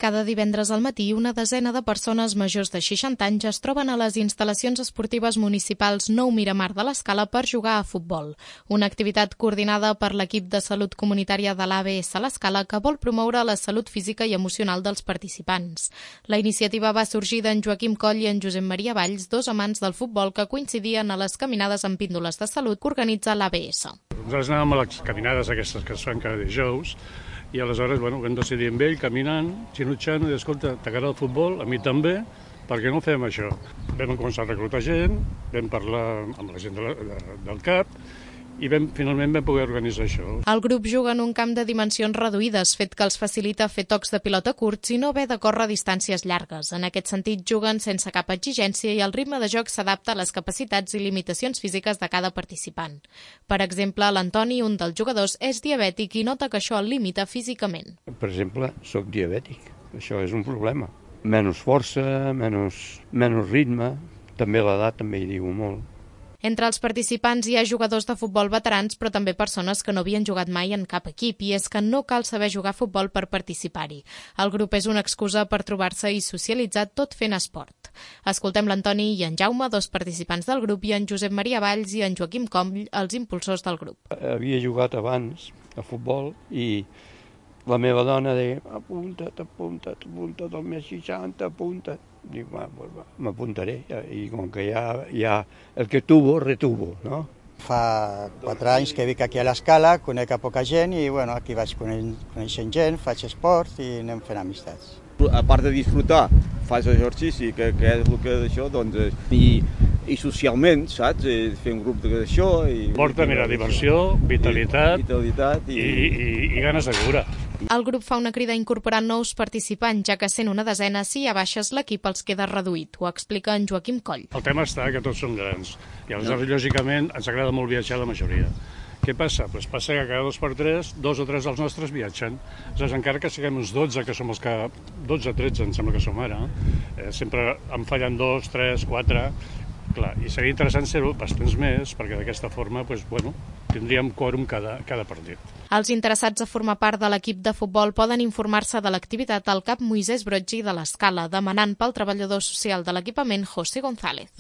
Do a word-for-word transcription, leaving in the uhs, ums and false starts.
Cada divendres al matí, una desena de persones majors de seixanta anys es troben a les instal·lacions esportives municipals Nou Miramar de l'Escala per jugar a futbol. Una activitat coordinada per l'equip de salut comunitària de l'A B S l'Escala que vol promoure la salut física i emocional dels participants. La iniciativa va sorgir d'en Joaquim Coll i en Josep Maria Valls, dos amants del futbol que coincidien a les caminades amb píndoles de salut que organitza l'A B S. Nosaltres anàvem a les caminades aquestes que es fan cada dijous i aleshores bueno, vam decidir amb ell, caminant, xinutxant, i escolta, t'agrada el futbol? A mi també, per què no fem això? Vam començar a reclutar gent, vam parlar amb la gent de la, de, del CAP i vam, finalment vam poder organitzar això. El grup juga en un camp de dimensions reduïdes, fet que els facilita fer tocs de pilota curts i no haver de córrer distàncies llargues. En aquest sentit, juguen sense cap exigència i el ritme de joc s'adapta a les capacitats i limitacions físiques de cada participant. Per exemple, l'Antoni, un dels jugadors, és diabètic i nota que això el limita físicament. Per exemple, sóc diabètic. Això és un problema. Menys força, menys, menys ritme, també l'edat també hi diu molt. Entre els participants hi ha jugadors de futbol veterans, però també persones que no havien jugat mai en cap equip, i és que no cal saber jugar a futbol per participar-hi. El grup és una excusa per trobar-se i socialitzar tot fent esport. Escoltem l'Antoni i en Jaume, dos participants del grup, i en Josep Maria Valls i en Joaquim Coll, els impulsors del grup. Havia jugat abans a futbol i la meva dona deia apunta't, apunta't, apunta't, al mes seixanta, apunta't. Dic, m'apuntaré, i com que ja, ja el que tuvo, retuvo, no? Fa quatre anys que vic aquí a l'Escala, conec a poca gent i bueno, aquí vaig coneixent gent, faig esport i anem fent amistats. A part de disfrutar, fas exercici, que, que és el que d'això, doncs, i, i socialment, saps? Fer un grup d'això... Porta, mira, diversió, vitalitat, i, vitalitat i, i, i, i ganes de viure. El grup fa una crida a incorporar nous participants, ja que sent una desena, si hi ha baixes, l'equip els queda reduït. Ho explica en Joaquim Coll. El tema està que tots som grans i aleshores, lògicament, ens agrada molt viatjar la majoria. Què passa? Pues passa que cada dos per tres, dos o tres dels nostres viatgen. Aleshores, encara que siguem uns dotze, que som els que... dotze, tretze, em sembla que som ara, eh, sempre en fallen dos, tres, quatre... Clar, i seria interessant ser-ho bastants més, perquè d'aquesta forma pues, bueno, tindríem quòrum cada, cada partit. Els interessats a formar part de l'equip de futbol poden informar-se de l'activitat al CAP Moisès Broggi de l'Escala, demanant pel treballador social de l'equipament José González.